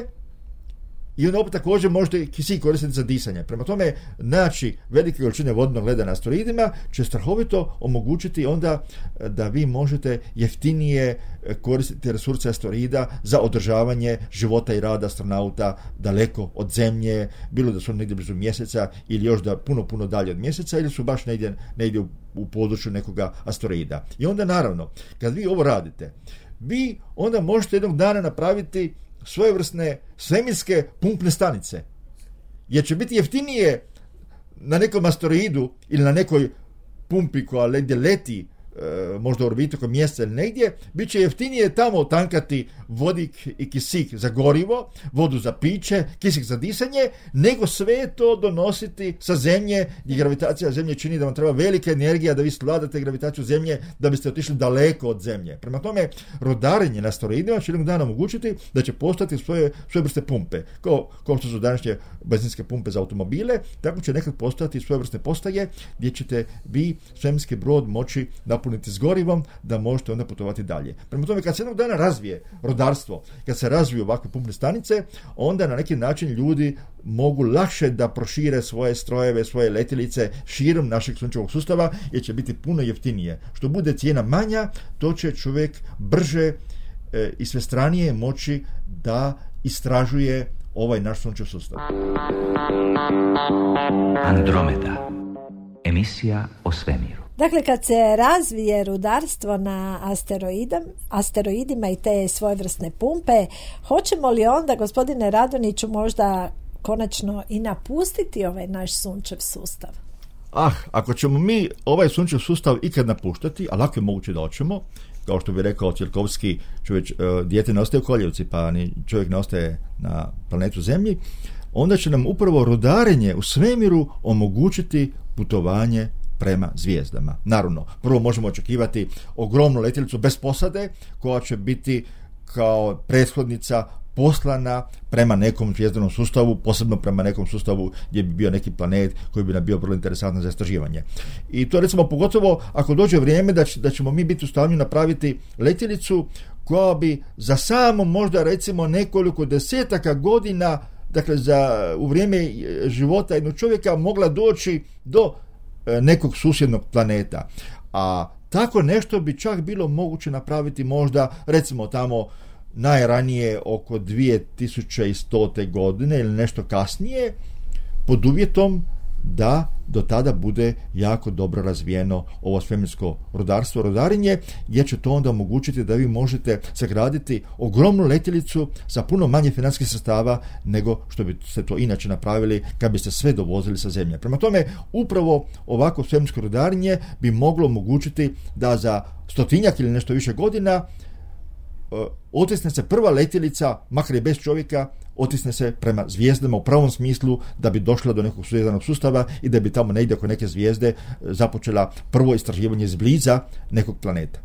i onda opet također možete kisik koristiti za disanje. Prema tome, naći velike količine vodnog leda na asteroidima će strahovito omogućiti onda da vi možete jeftinije koristiti resurse asteroida za održavanje života i rada astronauta daleko od Zemlje, bilo da su negdje blizu mjeseca ili još da puno dalje od mjeseca ili su baš negdje u području nekoga asteroida. I onda naravno, kad vi ovo radite, vi onda možete jednog dana napraviti svojevrsne svemirske pumpne stanice. Jer će biti jeftinije na nekom asteroidu ili na nekoj pumpi koja negdje leti, možda u orbitu oko mjeseca ili negdje, bit će jeftinije tamo tankati vodik i kisik za gorivo, vodu za piće, kisik za disanje, nego sve to donositi sa Zemlje, gdje gravitacija Zemlje čini da vam treba velika energija da vi svladate gravitaciju Zemlje, da biste otišli daleko od Zemlje. Prema tome, rodarenje na asteroidima će jednog dana omogućiti da će postati svoje vrste pumpe. Kao što su današnje benzinske pumpe za automobile, tako će nekad postati svoje vrste postaje gdje ćete vi svemirski brod moći napuniti s gorivom da možete onda putovati dalje. Prema tome, kad se jednog dana razvije rodarstvo, kad se razviju ovakve pumpne stanice, onda na neki način ljudi mogu lakše da prošire svoje strojeve, svoje letjelice širom našeg sunčevog sustava, jer će biti puno jeftinije. Što bude cijena manja, to će čovjek brže i svestranije moći da istražuje ovaj naš sunčev sustav. Andromeda. Emisija o svemiru. Dakle, kad se razvije rudarstvo na asteroidima i te svojevrsne pumpe, hoćemo li onda, gospodine Radonjiću, možda konačno i napustiti ovaj naš sunčev sustav? Ako ćemo mi ovaj sunčev sustav ikad napuštati, a lako je moguće da hoćemo, kao što bi rekao Tsiolkovski, dijete ne ostaje u koljevci, pa ni čovjek ne ostaje na planetu Zemlji, onda će nam upravo rudarenje u svemiru omogućiti putovanje prema zvijezdama. Naravno, prvo možemo očekivati ogromnu letjelicu bez posade, koja će biti kao prethodnica poslana prema nekom zvijezdanom sustavu, posebno prema nekom sustavu gdje bi bio neki planet koji bi nam bio vrlo interesantan za istraživanje. I to recimo pogotovo ako dođe vrijeme da ćemo mi biti u stanju napraviti letjelicu koja bi za samo možda recimo nekoliko desetaka godina, dakle u vrijeme života jednog čovjeka, mogla doći do nekog susjednog planeta. A tako nešto bi čak bilo moguće napraviti možda recimo tamo najranije oko 2100. godine ili nešto kasnije, pod uvjetom da do tada bude jako dobro razvijeno ovo svemirsko rudarenje, gdje će to onda omogućiti da vi možete sagraditi ogromnu letjelicu sa puno manje financijskih sredstava nego što biste to inače napravili kad biste sve dovozili sa Zemlje. Prema tome, upravo ovako svemirsko rudarenje bi moglo omogućiti da za 100 ili nešto više godina otisne se prva letjelica, makar i bez čovjeka, otisne se prema zvijezdama u pravom smislu, da bi došla do nekog zvijezdanog sustava i da bi tamo negdje oko neke zvijezde započela prvo istraživanje izbliza nekog planeta.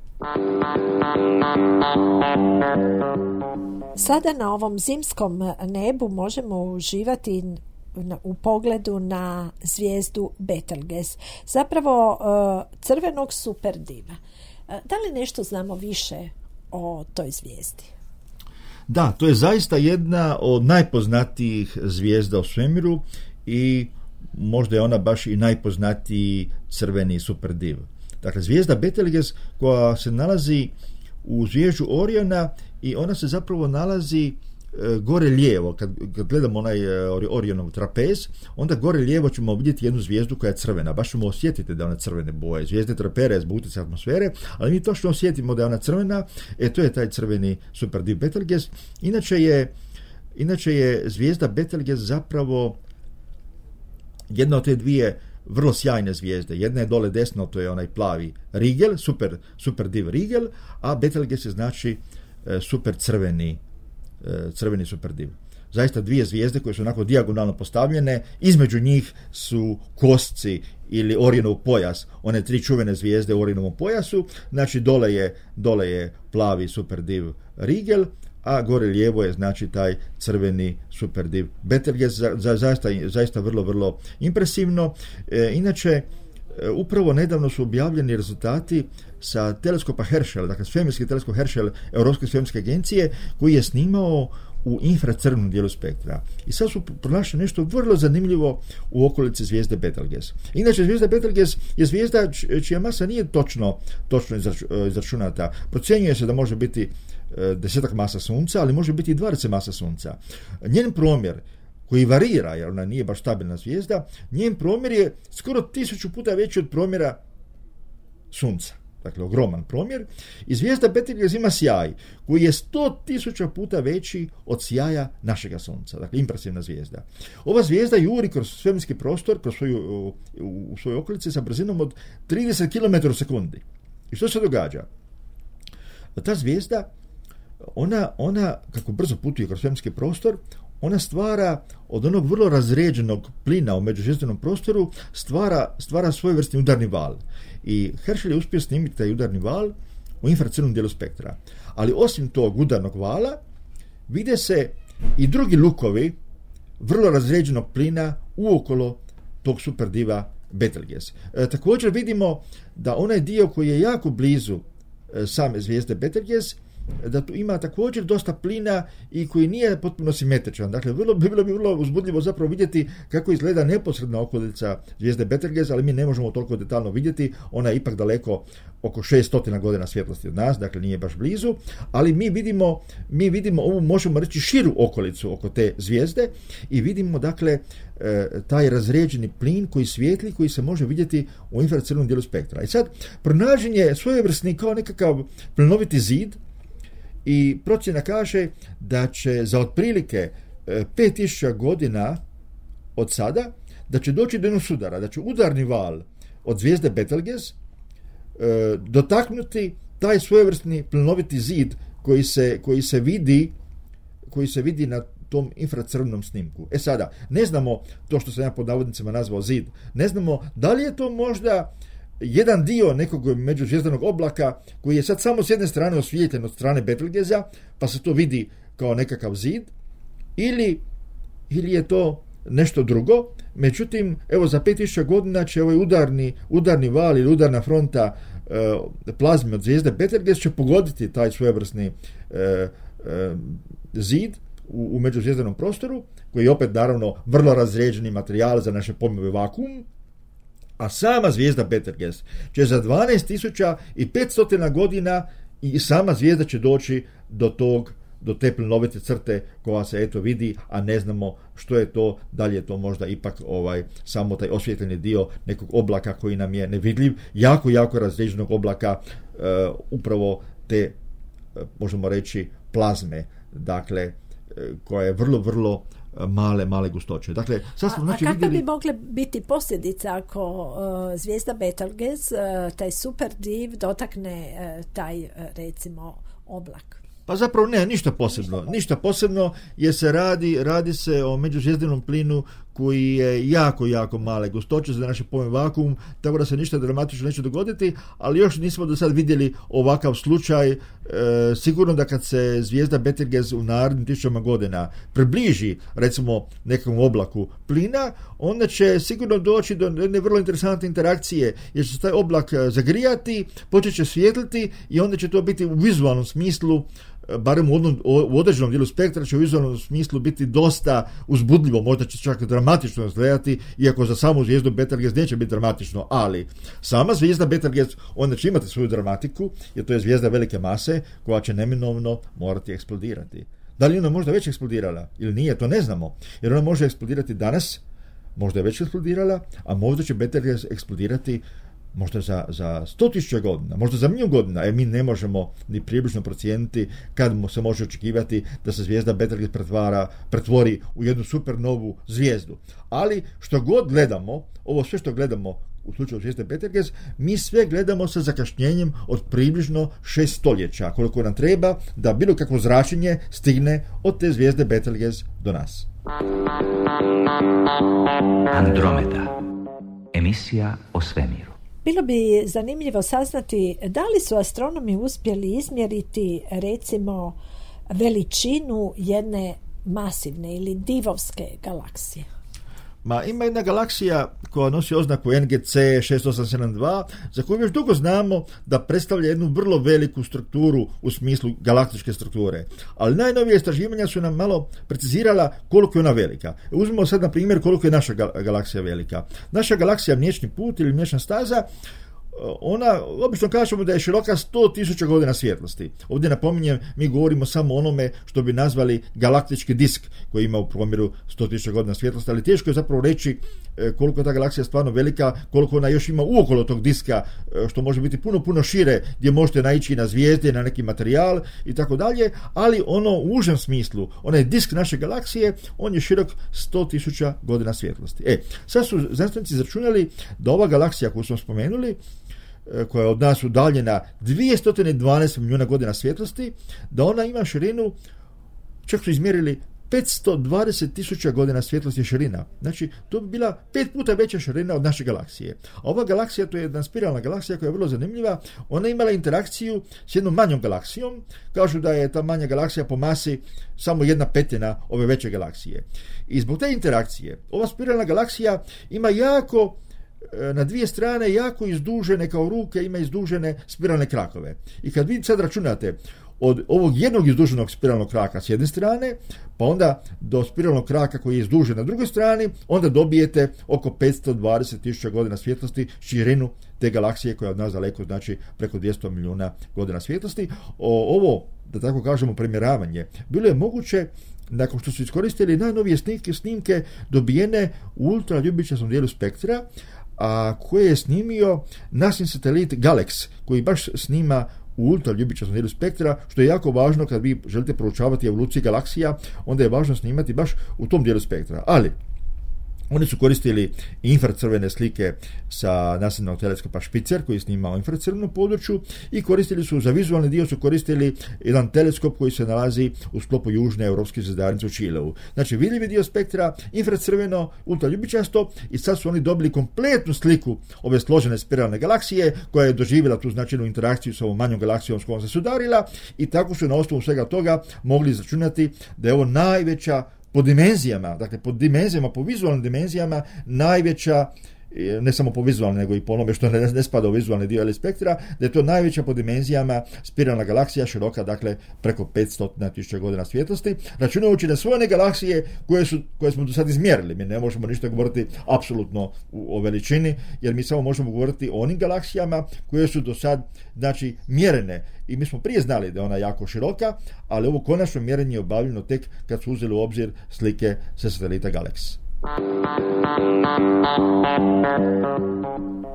Sada na ovom zimskom nebu možemo uživati u pogledu na zvijezdu Betelgeuse, zapravo crvenog superdiva. Da li nešto znamo više o toj zvijezdi? Da, to je zaista jedna od najpoznatijih zvijezda u svemiru i možda je ona baš i najpoznatiji crveni superdiv. Dakle, zvijezda Betelgeuse koja se nalazi u zvježđu Oriona i ona se zapravo nalazi gore lijevo. Kad gledamo onaj Orionov trapez, onda gore lijevo ćemo vidjeti jednu zvijezdu koja je crvena. Baš ćemo osjetiti da je ona crvene boje. Zvijezde trapere zbog utjecaja atmosfere, ali mi točno osjetimo da je ona crvena. To je taj crveni superdiv Betelgeuse. Inače je zvijezda Betelgeuse zapravo jedna od te dvije vrlo sjajne zvijezde. Jedna je dole desno, to je onaj plavi Rigel, super div Rigel, a Betelgeuse je znači super crveni super div. Zaista dvije zvijezde koje su onako dijagonalno postavljene, između njih su kosci ili Orionov pojas, one tri čuvene zvijezde u Orionovom pojasu, znači dole je plavi super div Rigel, a gore lijevo je znači taj crveni superdiv Betelgeuse, zaista vrlo, vrlo impresivno. Inače, upravo nedavno su objavljeni rezultati sa teleskopa Herschel, dakle svemirski teleskop Herschel Europske svemirske agencije, koji je snimao u infracrvenom dijelu spektra. I sad su pronašli nešto vrlo zanimljivo u okolici zvijezde Betelgeuse. Inače, zvijezda Betelgeuse je zvijezda čija masa nije točno izračunata. Procjenjuje se da može biti 10 masa Sunca, ali može biti i 20 masa Sunca. Njen promjer, koji varira, jer ona nije baš stabilna zvijezda, njen promjer je skoro 1000 puta veći od promjera Sunca. Dakle, ogroman promjer. I zvijezda Betelgeuse ima sjaj koji je 100.000 puta veći od sjaja našega Sunca. Dakle, impresivna zvijezda. Ova zvijezda juri kroz svemirski prostor, u svojoj okolici sa brzinom od 30 km u sekundi. I što se događa? Ta zvijezda, ona kako brzo putuje kroz svemirski prostor, ona stvara od onog vrlo razređenog plina u međuzvjezdanom prostoru, stvara svojevrsni udarni val. I Herschel je uspio snimiti taj udarni val u infracrvenom dijelu spektra. Ali osim tog udarnog vala, vide se i drugi lukovi vrlo razređenog plina uokolo tog superdiva Betelgeuse. Također vidimo da onaj dio koji je jako blizu same zvijezde Betelgeuse, da tu ima također dosta plina i koji nije potpuno simetričan. Dakle, bilo bi vrlo uzbudljivo zapravo vidjeti kako izgleda neposredna okolica zvijezde Betelgeuse, ali mi ne možemo toliko detaljno vidjeti. Ona je ipak daleko oko 600 godina svjetlosti od nas, dakle nije baš blizu, ali mi vidimo ovu, možemo reći, širu okolicu oko te zvijezde i vidimo, dakle, taj razređeni plin koji svijetli, koji se može vidjeti u infracrvenom dijelu spektra. I sad, pronađen je svojevrsni kao nekakav plinoviti zid, i procjena kaže da će za otprilike 5000 godina od sada, da će doći do jednog sudara, da će udarni val od zvijezde Betelgeuse dotaknuti taj svojevrsni plinoviti zid koji se vidi na tom infracrvenom snimku. Sada, ne znamo to što sam ja pod navodnicima nazvao zid, ne znamo da li je to možda jedan dio nekog međuzvjezdanog oblaka koji je sad samo s jedne strane osvijetljen od strane Betelgeusea, pa se to vidi kao nekakav zid, ili je to nešto drugo. Međutim, evo, za 5000 godina će ovaj udarni val ili udarna fronta plazme od zvijezde Betelgeuse će pogoditi taj svojevrsni zid u međuzvjezdanom prostoru, koji je opet naravno vrlo razređeni materijal za naše pojmove vakuum, a sama zvijezda Betelgeuse će za 12.500 godina i sama zvijezda će doći do te plinovite crte koja se eto vidi, a ne znamo što je to, da li je to možda ipak samo taj osvjetljeni dio nekog oblaka koji nam je nevidljiv, jako razređenog oblaka, upravo te, možemo reći, plazme, dakle, koja je vrlo male gustoće. Dakle, sad smo znači kakve bi mogle biti posljedice ako zvijezda Betelgeuse, taj super div, dotakne taj, recimo, oblak? Pa zapravo ne, ništa posebno, jer se radi se o međuzvjezdanom plinu koji je jako male gustoće za naše pojme vakuum, tako da se ništa dramatično neće dogoditi, ali još nismo do sad vidjeli ovakav slučaj. Sigurno da kad se zvijezda Betelgeuse u narednim 1000 godina približi, recimo, nekom oblaku plina, onda će sigurno doći do jedne vrlo interesantne interakcije, jer će se taj oblak zagrijati, počet će svijetliti i onda će to biti u vizualnom smislu barem u određenom dijelu spektra, će u vizualnom smislu biti dosta uzbudljivo, možda će čak dramatično izgledati, iako za samu zvijezdu Betelgeuse neće biti dramatično, ali sama zvijezda Betelgeuse, ona će imati svoju dramatiku, jer to je zvijezda velike mase koja će neminovno morati eksplodirati. Da li ona možda već eksplodirala ili nije, to ne znamo, jer ona može eksplodirati danas, možda je već eksplodirala, a možda će Betelgeuse eksplodirati možda za 100.000 godina, možda za milijun godina. Mi ne možemo ni približno procijeniti kad se može očekivati da se zvijezda Betelgeuse pretvori u jednu supernovu zvijezdu. Ali što god gledamo, ovo sve što gledamo u slučaju zvijezde Betelgeuse, mi sve gledamo sa zakašnjenjem od približno 6 stoljeća, koliko nam treba da bilo kakvo zračenje stigne od te zvijezde Betelgeuse do nas. Andromeda. Emisija o svemiru. Bilo bi zanimljivo saznati da li su astronomi uspjeli izmjeriti recimo veličinu jedne masivne ili divovske galaksije. Ima jedna galaksija koja nosi oznaku NGC 6872, za koju još dugo znamo da predstavlja jednu vrlo veliku strukturu u smislu galaktičke strukture. Ali najnovije istraživanja su nam malo precizirala koliko je ona velika. Uzmimo sad na primjer koliko je naša galaksija velika. Naša galaksija Mliječni put ili Mliječna staza, ona, obično kažemo da je široka 100.000 godina svjetlosti. Ovdje napominjem, mi govorimo samo o onome što bi nazvali galaktički disk, koji ima u promjeru 100.000 godina svjetlosti, ali teško je zapravo reći koliko je ta galaksija stvarno velika, koliko ona još ima uokolo tog diska, što može biti puno šire, gdje možete naići na zvijezde, na neki materijal i tako dalje, ali ono u užem smislu, onaj disk naše galaksije, on je širok 100.000 godina svjetlosti. Sad su znanstvenici izračunali da ova galaksija koju smo spomenuli, koja je od nas udaljena 212 milijuna godina svjetlosti, da ona ima širinu, čak su izmjerili 520.000 godina svjetlosti širina. Znači, to bi bila 5 puta veća širina od naše galaksije. A ova galaksija, to je jedna spiralna galaksija koja je vrlo zanimljiva, ona je imala interakciju s jednom manjom galaksijom, kažu da je ta manja galaksija po masi samo 1/5 ove veće galaksije. I zbog te interakcije, ova spiralna galaksija ima na dvije strane jako izdužene, kao ruke, ima izdužene spiralne krakove. I kad vi sad računate od ovog jednog izduženog spiralnog kraka s jedne strane, pa onda do spiralnog kraka koji je izdužen na drugoj strani, onda dobijete oko 520.000 godina svjetlosti širinu te galaksije koja je od nas daleko, znači preko 200 milijuna godina svjetlosti. Ovo, da tako kažemo, premjeravanje bilo je moguće nakon što su iskoristili najnovije snimke dobijene u ultraljubičastom dijelu spektra, a koje je snimio nasin satelit Galex, koji baš snima u ultraljubičastom dijelu spektra, što je jako važno kad vi želite proučavati evoluciju galaksija, onda je važno snimati baš u tom dijelu spektra. Ali oni su koristili infracrvene slike sa nasljednog teleskopa Spitzer koji snima u infracrvenom području i koristili su, za vizualni dio su koristili jedan teleskop koji se nalazi u sklopu južne europske zvezdarnice u Čileu. Znači vidljivi dio spektra, infracrveno, ultraljubičasto, i sad su oni dobili kompletnu sliku ove složene spiralne galaksije koja je doživjela tu značajnu interakciju s ovom manjom galaksijom s kojom se sudarila, i tako su na osnovu svega toga mogli izračunati da je ovo najveća po dimenzijama, dakle po vizualnim dimenzijama najveća, ne samo po vizualnim, nego i po onome što ne spada u vizualni dio spektra, da je to najveća po dimenzijama spiralna galaksija, široka dakle preko 500.000 godina svjetlosti, računajući na sve one galaksije koje smo do sad izmjerili. Mi ne možemo ništa govoriti apsolutno o veličini, jer mi samo možemo govoriti o onim galaksijama koje su do sad, znači, mjerene. I mi smo prije znali da je ona jako široka, ali ovo konačno mjerenje je obavljeno tek kad su uzeli u obzir slike sa satelita Galex.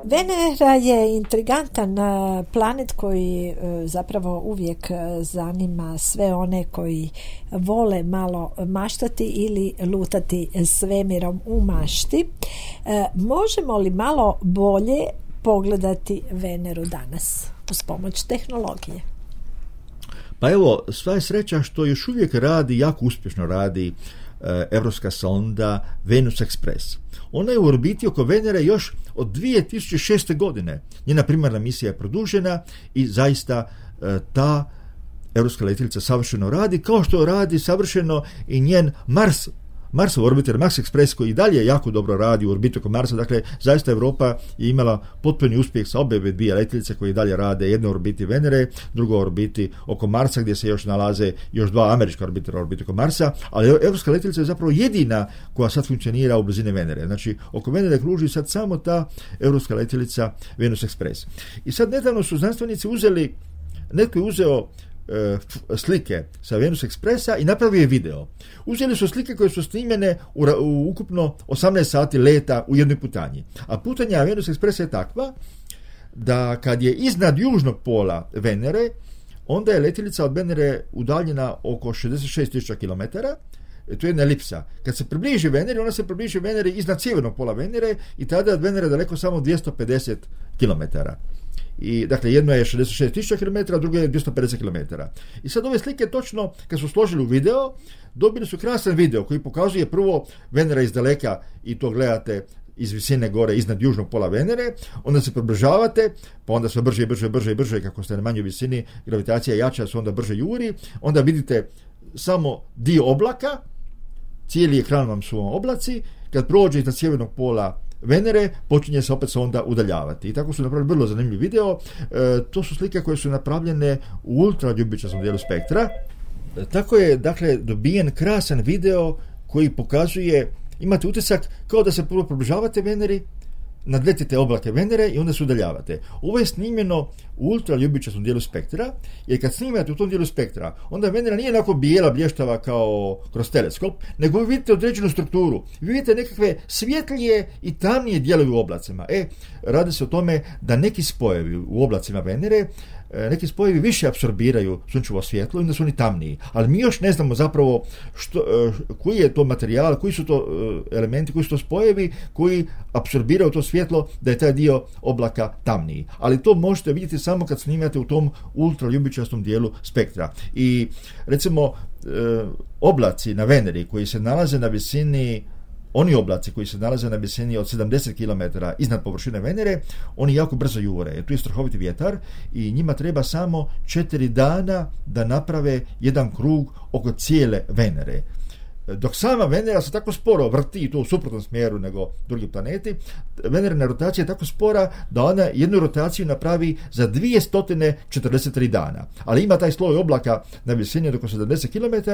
Venera je intrigantan planet koji zapravo uvijek zanima sve one koji vole malo maštati ili lutati svemirom u mašti. Možemo li malo bolje pogledati Veneru danas uz pomoć tehnologije? Pa evo, sva je sreća što još uvijek jako uspješno radi evropska sonda Venus Express. Ona je u orbiti oko Venere još od 2006. godine. Njena primarna misija je produžena i zaista ta evropska letjelica savršeno radi, kao što radi savršeno i njen Marsov orbiter, Mars Express, koji i dalje jako dobro radi u orbitu oko Marsa. Dakle, zaista Europa je imala potpuni uspjeh sa obe dvije letjelice koje i dalje rade, jedna u orbiti Venere, druga u orbiti oko Marsa, gdje se još nalaze još dva američka orbitera u orbitu oko Marsa, ali europska letjelica je zapravo jedina koja sad funkcionira u blizini Venere. Znači, oko Venere kruži sad samo ta europska letjelica Venus Express. I sad nedavno su znanstvenici uzeli, netko je uzeo slike sa Venus Expressa i napravio video. Uzeli su slike koje su snimljene u ukupno 18 sati leta u jednoj putanji. A putanja Venus Expressa je takva da kad je iznad južnog pola Venere, onda je letjelica od Venere udaljena oko 66.000 km. To je jedna elipsa. Kad se približi Veneri, ona se približi Veneri iznad sjevernog pola Venere i tada je od Venere daleko samo 250 km. I, dakle, jedno je 66.000 km, a drugo je 250 km. I sad ove slike točno, kad su složili u video, dobili su krasan video koji pokazuje prvo Venera iz daleka i to gledate iz visine gore iznad južnog pola Venere, onda se približavate, pa onda sve brže, kako ste na manjoj visini, gravitacija je jača, se onda brže juri, onda vidite samo dio oblaka, cijeli ekran vam su oblaci, kad prođe iznad sjevernog pola Venere, počinje se opet onda udaljavati. I tako su napravili vrlo zanimljiv video. To su slike koje su napravljene u ultraljubičastom dijelu spektra. Tako je, dakle, dobijen krasan video koji pokazuje, imate utisak kao da se prvo približavate Veneri, nadletite oblake Venere i onda se udaljavate. Ovo je snimljeno u ultraljubičastom dijelu spektra, jer kad snimate u tom dijelu spektra, onda Venera nije onako bijela, blještava kao kroz teleskop, nego vi vidite određenu strukturu. Vi vidite nekakve svjetlije i tamnije dijelovi u oblacima. Radi se o tome da neki spojevi u oblacima Venere, neki spojevi više apsorbiraju sunčevo svjetlo i onda su oni tamniji. Ali mi još ne znamo zapravo koji je to materijal, koji su to elementi, koji su to spojevi koji apsorbiraju to svjetlo da je taj dio oblaka tamniji. Ali to možete vidjeti samo kad snimate u tom ultraljubičastom dijelu spektra. I recimo oblaci na Veneri koji se nalaze na visini, oni oblaci koji se nalaze na visini od 70 km iznad površine Venere, oni jako brzo jure. Tu je strahoviti vjetar i njima treba samo 4 dana da naprave jedan krug oko cijele Venere. Dok sama Venera se tako sporo vrti, i to u suprotnom smjeru nego drugi planeti, Venerina rotacija je tako spora da ona jednu rotaciju napravi za 243 dana. Ali ima taj sloj oblaka na visini od oko 70 km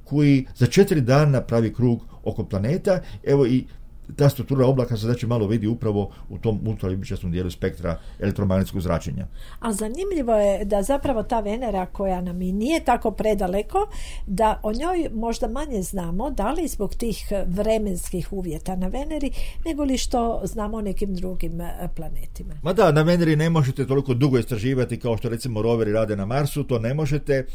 koji za 4 dana pravi krug oko planeta. Evo, i ta struktura oblaka se znači malo vidi upravo u tom ultraljubičastom dijelu spektra elektromagnetskog zračenja. A zanimljivo je da zapravo ta Venera, koja nam i nije tako predaleko, da o njoj možda manje znamo, da li zbog tih vremenskih uvjeta na Veneri, nego li što znamo o nekim drugim planetima. Ma da, na Veneri ne možete toliko dugo istraživati kao što recimo roveri rade na Marsu, to ne možete,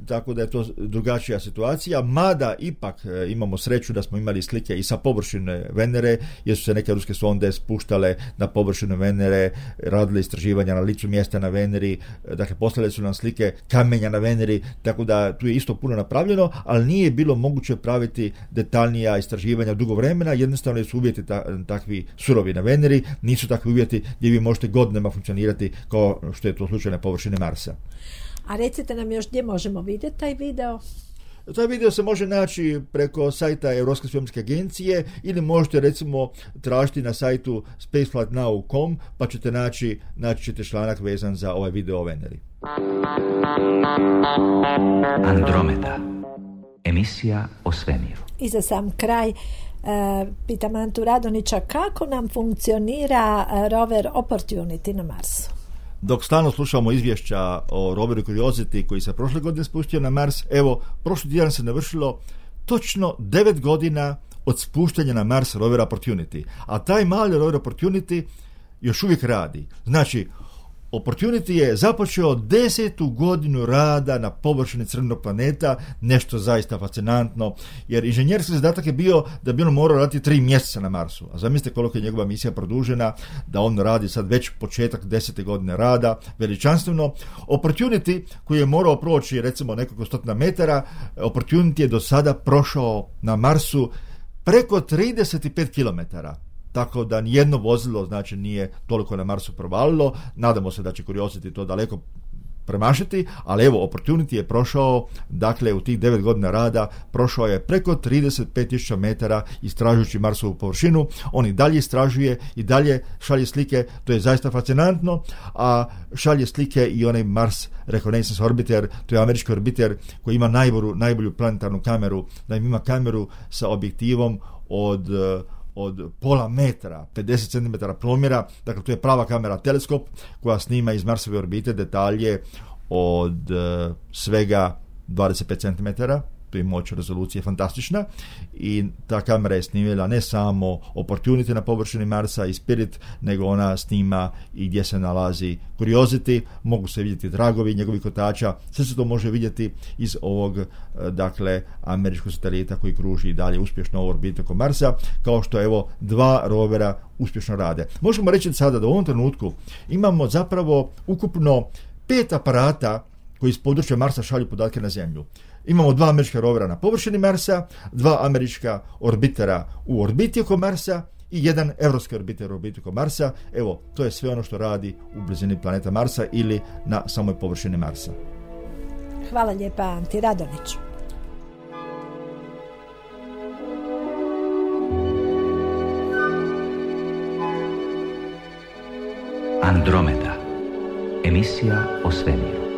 tako da je to drugačija situacija, mada ipak imamo sreću da smo imali slike i sa površine Venere, jer su se neke ruske sonde spuštale na površinu Venere, radile istraživanja na licu mjesta na Veneri, dakle poslale su nam slike kamenja na Veneri, tako da tu je isto puno napravljeno, ali nije bilo moguće praviti detaljnija istraživanja dugo vremena, jednostavno su uvjeti takvi surovi na Veneri, nisu takvi uvjeti gdje vi možete godinama funkcionirati kao što je to slučaj na površini Marsa. A recite nam još gdje možemo vidjeti taj video? Taj video se može naći preko sajta Europske svemirske agencije ili možete recimo tražiti na sajtu spaceflightnow.com pa ćete naći ćete članak vezan za ovaj video o Veneri. Andromeda. Emisija o svemiru. I za sam kraj pitam Antu Radonića, kako nam funkcionira rover Opportunity na Marsu? Dok stalno slušamo izvješća o roveru Curiosity koji se prošle godine spustio na Mars, evo, prošli tjedan se navršilo točno 9 godina od spuštanja na Mars rovera Opportunity. A taj mali rover Opportunity još uvijek radi. Znači, Opportunity je započeo 10. godinu rada na površini crvenog planeta, nešto zaista fascinantno, jer inženjerski zadatak je bio da bi on morao raditi 3 mjeseca na Marsu. A zamislite koliko je njegova misija produžena, da on radi sad već početak 10. godine rada, veličanstveno. Opportunity, koji je morao proći recimo nekoliko stotina metara, Opportunity je do sada prošao na Marsu preko 35 kilometara. Tako da nijedno vozilo znači nije toliko na Marsu provalilo. Nadamo se da će Curiosity to daleko premašiti, ali evo, Opportunity je prošao, dakle, u tih 9 godina rada, prošao je preko 35.000 metara istražujući Marsovu površinu. On i dalje istražuje, i dalje šalje slike, to je zaista fascinantno, a šalje slike i onaj Mars Reconnaissance Orbiter, to je američki orbiter koji ima najbolju planetarnu kameru, da ima kameru sa objektivom od pola metra, 50 cm promjera, dakle to je prava kamera teleskop koja snima iz Marsove orbite detalje od svega 25 cm, tu je moć rezolucije fantastična i ta kamera je snimila ne samo Opportunity na površini Marsa i Spirit, nego ona snima i gdje se nalazi Curiosity, mogu se vidjeti tragovi njegovih kotača, sve se to može vidjeti iz ovog, dakle, američkog satelita koji kruži i dalje uspješno u orbitu oko Marsa, kao što evo 2 rovera uspješno rade. Možemo reći sada da u ovom trenutku imamo zapravo ukupno 5 aparata koji iz područja Marsa šalju podatke na Zemlju. Imamo 2 američka rovera na površini Marsa, 2 američka orbitera u orbiti oko Marsa i 1 evropski orbiter u orbiti oko Marsa. Evo, to je sve ono što radi u blizini planeta Marsa ili na samoj površini Marsa. Hvala lijepa, Anti Radoniću. Andromeda. Emisija o svemiru.